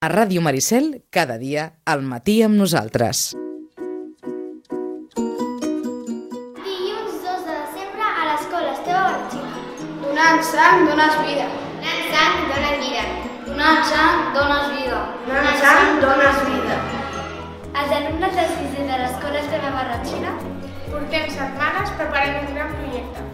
A Ràdio Maricel, cada dia, al matí amb nosaltres. Dilluns 2 de desembre a l'escola Esteve Barratxina. Donant sang, dones vida. Donant sang, dones vida. Donant sang, dones vida. Donant sang, dones vida. Els alumnes del sisè de l'escola Esteve Barratxina portem setmanes preparant un gran projecte.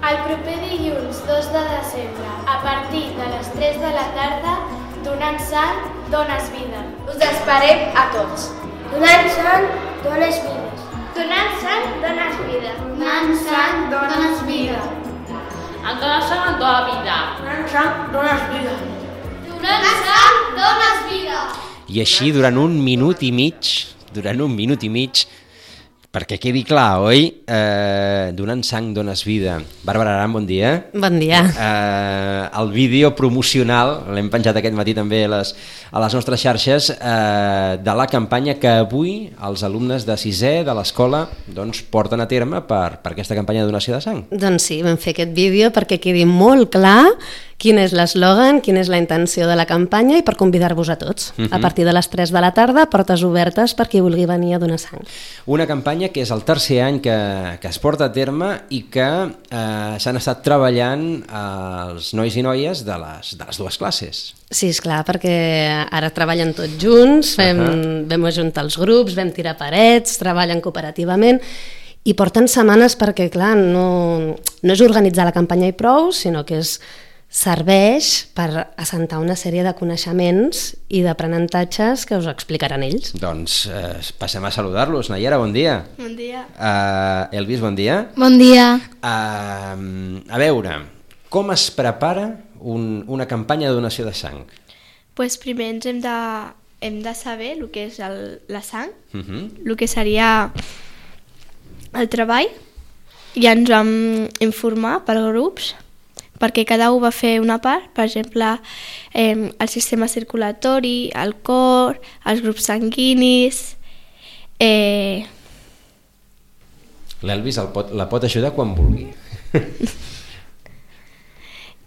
El proper dilluns 2 de desembre, a partir de les 3 de la tarda, donant sang, dones vida. Us esperem a tots. Donant sang, dones vides. Donant sang, dones vida. Donant sang, dones vida. Donant sang, dones vida. Donant sang, dones vida. Donant sang, dones vida. I així durant un minut i mig, perquè quedi clar, oi? Donant sang, dones vida. Bàrbara Aran, bon dia. Bon dia. El vídeo promocional, l'hem penjat aquest matí també a les nostres xarxes, de la campanya que avui els alumnes de sisè de l'escola porten a terme per aquesta campanya de donació de sang. Doncs sí, vam fer aquest vídeo perquè quedi molt clar quin és l'eslògan, quina és la intenció de la campanya i per convidar-vos a tots. A partir de les 3 de la tarda, portes obertes per qui vulgui venir a donar sang. Una campanya que és el tercer any que es porta a terme i que s'han estat treballant els nois i noies de les dues classes. Sí, esclar, perquè ara treballen tots junts, vam ajuntar els grups, vam tirar parets, treballen cooperativament i porten setmanes perquè, clar, no és organitzar la campanya i prou, sinó que serveix per assentar una sèrie de coneixements i d'aprenentatges que us explicaran ells. Doncs passem a saludar-los. Nayara, bon dia. Bon dia. Elvis, bon dia. Bon dia. A veure, com es prepara una campanya de donació de sang? Pues primer ens hem de saber el que és la sang, el que seria el treball. Ja ens vam informar per grups, perquè cada un va fer una part, per exemple, el sistema circulatori, el cor, els grups sanguinis... L'Elvis la pot ajudar quan vulgui.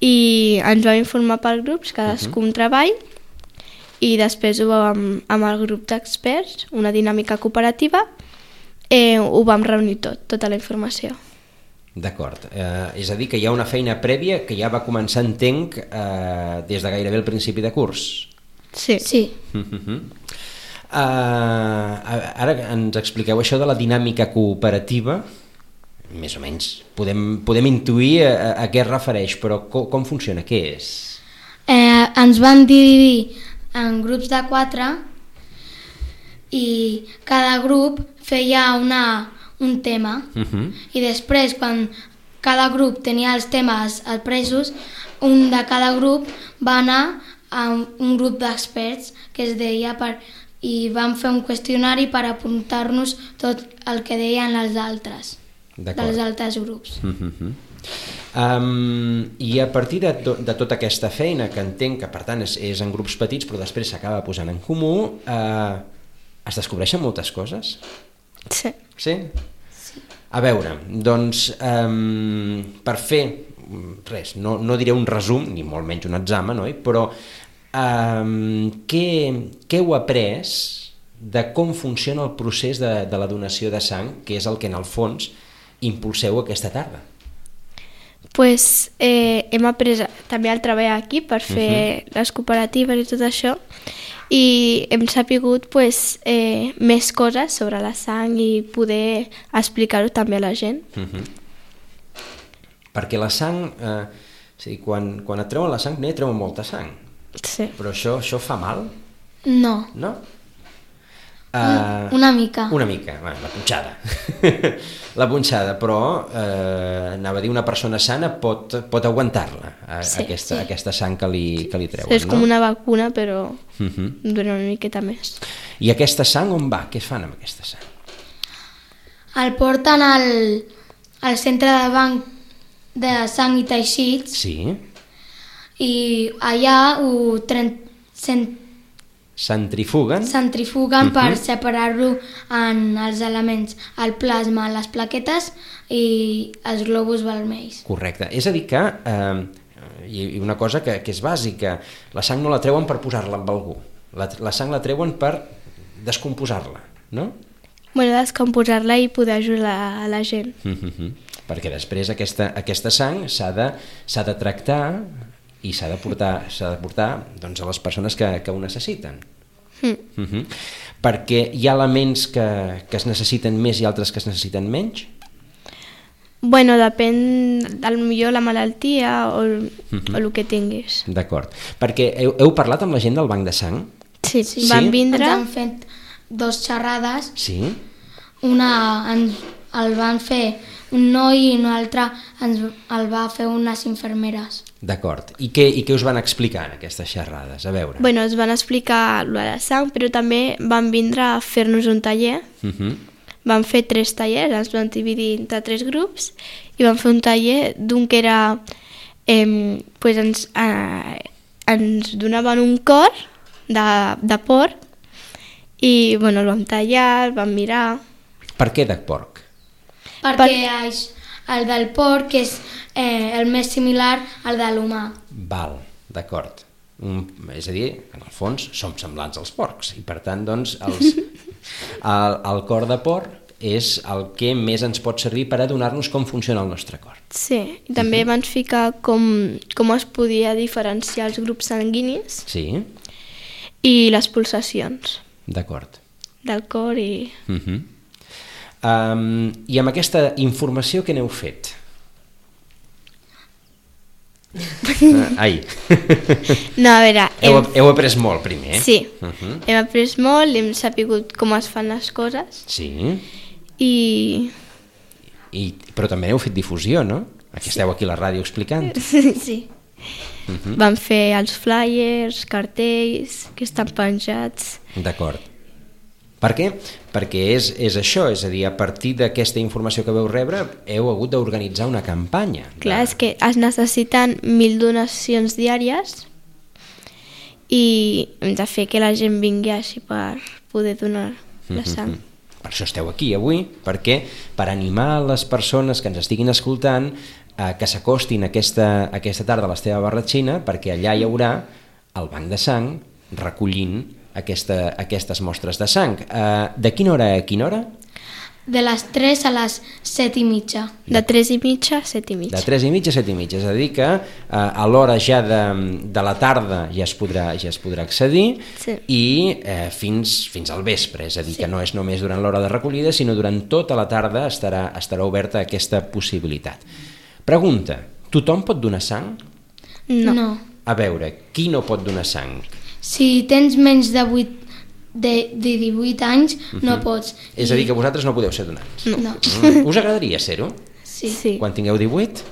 I ens vam informar per grups, cadascú un treball, i després amb el grup d'experts, una dinàmica cooperativa, ho vam reunir tota la informació. D'acord, és a dir que hi ha una feina prèvia que ja va començar, entenc, des de gairebé el principi de curs. Sí. Ara ens expliqueu això de la dinàmica cooperativa, més o menys podem intuir a què es refereix, però com funciona, què és? Ens van dividir en grups de 4 i cada grup feia un tema i després quan cada grup tenia els temes presos, un de cada grup va anar a un grup d'experts que es deia i vam fer un qüestionari per apuntar-nos tot el que deien els altres dels altres grups. I a partir de tota aquesta feina, que entenc que per tant és en grups petits però després s'acaba posant en comú, es descobreixen moltes coses? Sí. Sí? A veure, doncs, per fer res, no diré un resum, ni molt menys un examen, oi? Però què heu après de com funciona el procés de la donació de sang, que és el que en el fons impulseu aquesta tarda? Pues hem après també el treball aquí per fer les cooperatives i tot això, i hem sapigut més coses sobre la sang i poder explicar-ho també a la gent. Perquè la sang, quan et treuen la sang, no hi treuen molta sang. Sí. Però això fa mal? No. No? Una mica. Una mica, la punxada. La punxada, però anava a dir, una persona sana pot aguantar-la, aquesta sang que li treuen. Sí, és com una vacuna, però dura una miqueta més. I aquesta sang on va? Què es fan amb aquesta sang? El porten al centre de banc de sang i teixits. Sí. I allà centrifuguen per separar-lo en els elements, el plasma, les plaquetes i els globus vermells. Correcte. És a dir que, i una cosa que és bàsica, la sang no la treuen per posar-la amb algú, La sang la treuen per descomposar-la, no? Bueno, descomposar-la i poder ajudar a la gent. Perquè després aquesta sang s'ha de tractar i s'ha de portar doncs, a les persones que ho necessiten. Perquè hi ha elements que es necessiten més i altres que es necessiten menys? Bueno, depèn del millor la malaltia o el que tinguis. D'acord. Perquè heu parlat amb la gent del banc de sang? Sí, van vindre. Ens han fet 2 xerrades. Sí? Una el van fer un noi i una altra el va fer unes infermeres. D'acord. I què us van explicar en aquestes xerrades? A veure. Bueno, ens van explicar lo de la sang, però també van vindre a fer-nos un taller. Van fer 3 tallers, ens van dividir entre 3 grups i van fer un taller d'un que era... ens donaven un cor de porc i bueno, el vam tallar, el vam mirar. Per què de porc? Perquè el del porc és el més similar al de l'humà. Val, d'acord. És a dir, en el fons som semblants als porcs i per tant doncs el cor de porc és el que més ens pot servir per adonar-nos com funciona el nostre cor. Sí, i també van ficar com es podia diferenciar els grups sanguinis. Sí. I les pulsacions. D'acord. Del cor i... I amb aquesta informació què n'heu fet? Ai. No, a veure... Heu après molt primer. Sí, hem après molt, hem sapigut com es fan les coses. Sí. Però també heu fet difusió, no? Esteu aquí a la ràdio explicant. Sí. Vam fer els flyers, cartells que estan penjats. D'acord. Per què? Perquè és això, és a dir, a partir d'aquesta informació que veu rebre heu hagut d'organitzar una campanya. Clar, és que es necessiten 1.000 donacions diàries i hem de fer que la gent vingui així per poder donar la sang. Per això esteu aquí avui, perquè per animar les persones que ens estiguin escoltant que s'acostin aquesta tarda a l'Esteve Barratxina, perquè allà hi haurà el banc de sang recollint aquestes mostres de sang. De quina hora a quina hora? De les 3 a les 7:30. De 3:30 a 7:30. De 3:30 a 7:30, és a dir que a l'hora ja de la tarda ja es podrà accedir. Sí. I fins al vespre, és a dir que no és només durant l'hora de recollida, sinó durant tota la tarda estarà oberta aquesta possibilitat. Pregunta, tothom pot donar sang? No. A veure, qui no pot donar sang? Si tens menys de 18 anys, no pots. És a dir, que vosaltres no podeu ser donants? No. Us agradaria ser-ho? Sí. Quan tingueu 18?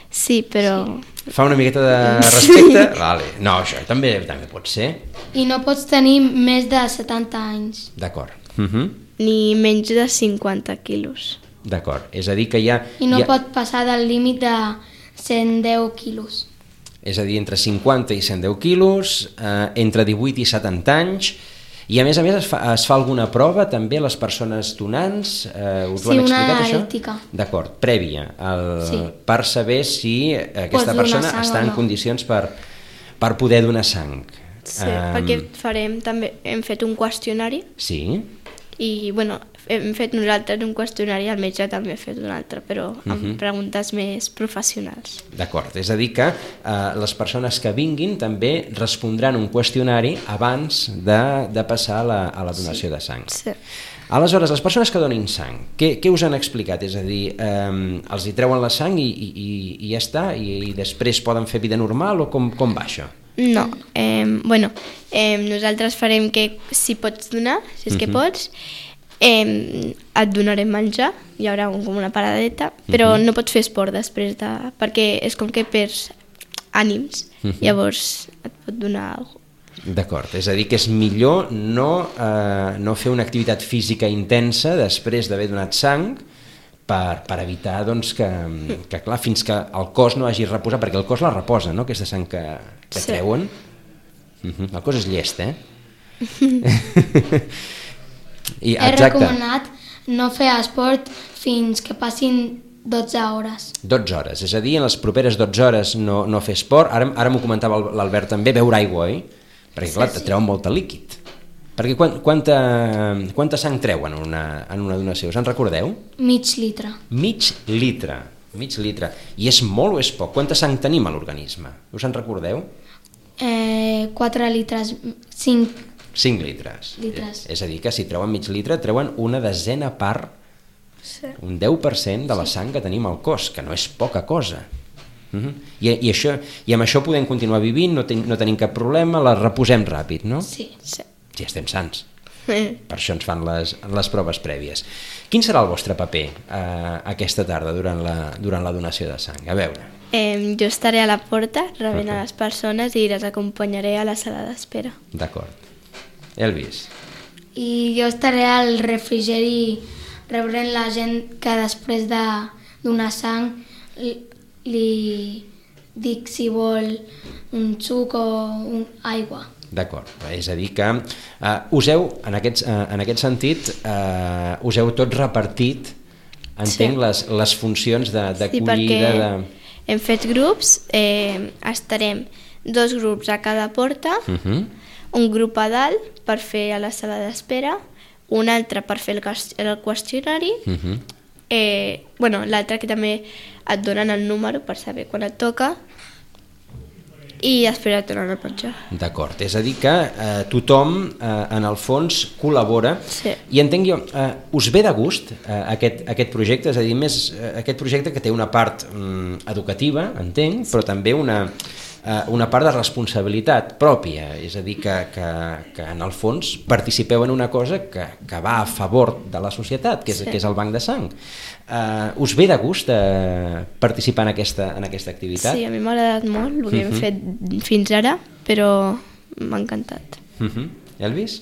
Sí, però... Fa una miqueta de respecte? Vale. No, això també pot ser. I no pots tenir més de 70 anys. D'acord. Ni menys de 50 quilos. D'acord, és a dir que hi ha... I no pot passar del límit de 110 quilos. És a dir, entre 50 i 110 quilos, entre 18 i 70 anys, i a més es fa alguna prova també a les persones donants? Us ho han explicat, això? Sí, una ètica. D'acord, prèvia, per saber si aquesta persona està en condicions per poder donar sang. Sí, perquè també hem fet un qüestionari. Sí. I, bueno, hem fet nosaltres un qüestionari, el metge també ha fet un altre, però amb preguntes més professionals. D'acord, és a dir que les persones que vinguin també respondran un qüestionari abans de passar a la donació de sang. Sí. Aleshores, les persones que donin sang, què us han explicat? És a dir, els hi treuen la sang i ja està? I després poden fer vida normal o com va això? No, nosaltres farem que si pots donar, si és que pots, et donarem menjar, hi haurà com una paradeta, però no pots fer esport després perquè és com que perds ànims, llavors et pot donar alguna cosa. D'acord, és a dir que és millor no fer una activitat física intensa després d'haver donat sang per evitar doncs, que clar, fins que el cos no hagi reposat, perquè el cos la reposa, no?, aquesta sang que treuen. El cos és llest, He recomanat no fer esport fins que passin 12 hores. 12 hores, és a dir, en les properes 12 hores no fer esport. Ara m'ho comentava l'Albert també, beure aigua, oi? Perquè clar, treuen molt de líquid. Perquè quanta sang treuen en una donació? Us en recordeu? Mig litre. Mig litre. I és molt o és poc? Quanta sang tenim a l'organisme? Us en recordeu? 4 litres, 5 5 litres. És a dir, que si treuen mig litre, treuen una desena part, un 10% de la sang que tenim al cos, que no és poca cosa. I amb això podem continuar vivint, no tenim cap problema, la reposem ràpid, no? Sí. Si estem sants. Per això ens fan les proves prèvies. Quin serà el vostre paper aquesta tarda durant la donació de sang? A veure. Jo estaré a la porta rebent a les persones i les acompanyaré a la sala d'espera. D'acord. Elvis. I jo estaré al refrigeri rebrent la gent que després de donar sang li dic si vol un suc o aigua. D'acord, és a dir que en aquest sentit us heu tot repartit, entenc, les funcions d'acollida. Sí, perquè hem fet grups, estarem 2 grups a cada porta, un grup a dalt per fer a la sala d'espera, un altre per fer el qüestionari, l'altre que també et donen el número per saber quan et toca, i després et donen el penjar. D'acord, és a dir que tothom en el fons col·labora. Sí. I entenc jo, us ve de gust aquest projecte? És a dir, més aquest projecte que té una part educativa, entenc, però també una part de responsabilitat pròpia, és a dir, que en el fons participeu en una cosa que va a favor de la societat, que és el banc de sang. Us ve de gust participar en aquesta activitat? Sí, a mi m'ha agradat molt el que hem fet fins ara, però m'ha encantat. Elvis?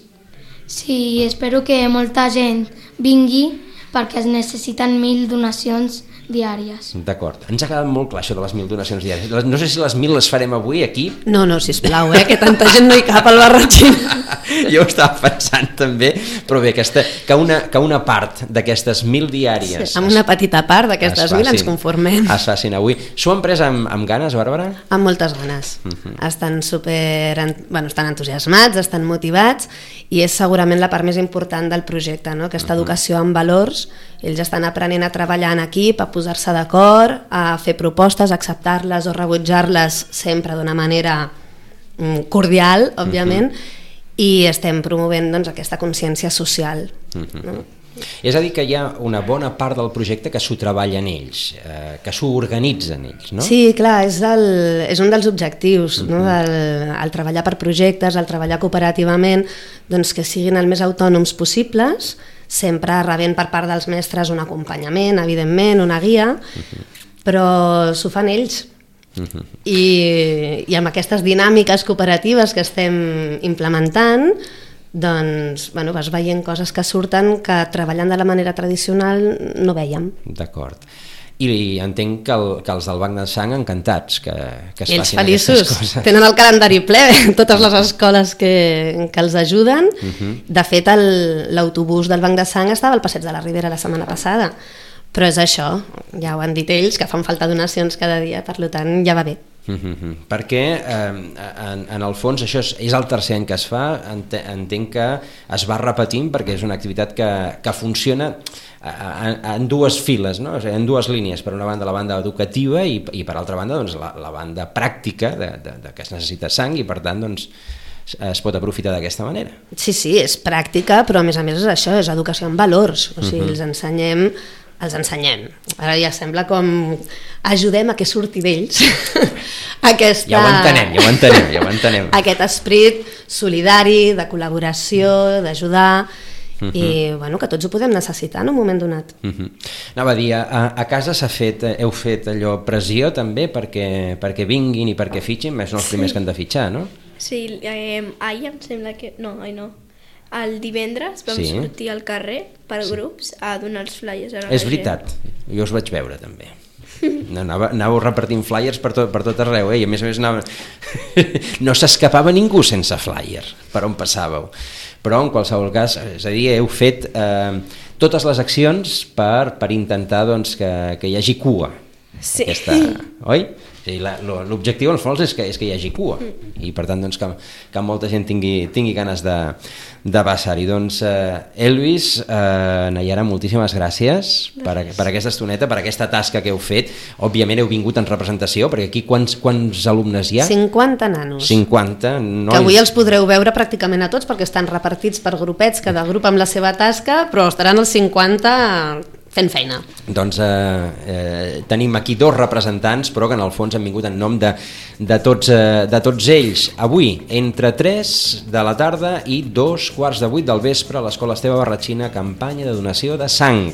Sí, espero que molta gent vingui perquè es necessiten 1.000 donacions diàries. D'acord. Ens ha quedat molt clar això de les 1.000 donacions diàries. No sé si les 1.000 les farem avui aquí. No, sisplau, que tanta gent no hi cap al Barratxín. Jo ho estava pensant també, però bé, que una part d'aquestes 1.000 diàries... Sí, amb una petita part d'aquestes 1.000 ens conformem. Es facin avui. S'ho han pres amb ganes, Bàrbara? Amb moltes ganes. Estan estan entusiasmats, estan motivats, i és segurament la part més important del projecte, no? Aquesta educació amb valors. Ells estan aprenent a treballar en equip, a posar-se d'acord, a fer propostes, a acceptar-les o rebutjar-les sempre d'una manera cordial, òbviament, i estem promovent aquesta consciència social. No? És a dir, que hi ha una bona part del projecte que s'ho treballen ells, que s'ho organitzen ells, no? Sí, clar, és un dels objectius, no? El treballar per projectes, el treballar cooperativament, doncs que siguin el més autònoms possibles, sempre rebent per part dels mestres un acompanyament, evidentment, una guia, però s'ho fan ells. I amb aquestes dinàmiques cooperatives que estem implementant, doncs vas veient coses que surten que treballant de la manera tradicional no vèiem. D'acord. I entenc que els del Banc de Sang encantats que es ells facin aquestes coses. Tenen el calendari ple, totes les escoles que els ajuden. De fet, l'autobús del Banc de Sang estava al Passeig de la Ribera la setmana passada, però és això, ja ho han dit ells, que fan falta donacions cada dia, per tant ja va bé. Perquè en el fons això és el tercer any que es fa, entenc que es va repetint perquè és una activitat que funciona en dues files, no? O sigui, en dues línies, per una banda la banda educativa i per altra banda doncs, la banda pràctica de que es necessita sang i per tant doncs, es pot aprofitar d'aquesta manera. Sí, és pràctica, però a més és això, és educació en valors, o sigui, els ensenyem. Ara ja sembla com ajudem a que surti d'ells aquesta... Ja ho entenem. Aquest esperit solidari, de col·laboració, d'ajudar, i que tots ho podem necessitar en un moment donat. Anava a dir, a casa heu fet allò pressió també perquè vinguin i perquè fitxin, més no els primers que han de fitxar, no? Sí, ahir em sembla que... No. El divendres vam sortir al carrer per grups a donar els flyers a la gent. És veritat, jo us vaig veure també. Anàveu repartint flyers per tot arreu, i a més no s'escapava ningú sense flyer per on passàveu. Però en qualsevol cas, és a dir, heu fet totes les accions per intentar que hi hagi cua. Sí. Oi? L'objectiu, en el fons, és que hi hagi cua, i per tant, doncs, que molta gent tingui ganes de passar-hi. Doncs, Elvis, Naiara, moltíssimes gràcies per aquesta estoneta, per aquesta tasca que heu fet. Òbviament heu vingut en representació, perquè aquí quants alumnes hi ha? 50 nanos. 50 nois. Que avui els podreu veure pràcticament a tots, perquè estan repartits per grupets, cada grup amb la seva tasca, però estaran els 50 fent feina. Doncs tenim aquí 2 representants, però que en el fons han vingut en nom de tots ells. Avui, entre 3 de la tarda i 2:15 del vespre, a l'Escola Esteve Barratxina, campanya de donació de sang.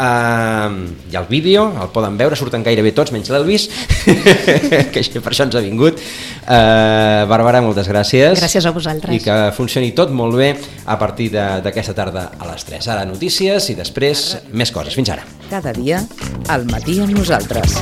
Hi ha el vídeo, el poden veure, surten gairebé tots, menys l'Elvis, que per això ens ha vingut. Bàrbara, moltes gràcies. Gràcies a vosaltres. I que funcioni tot molt bé a partir d'aquesta tarda a les 3. Ara notícies i després més coses. Fins ara. Cada dia, al matí amb nosaltres.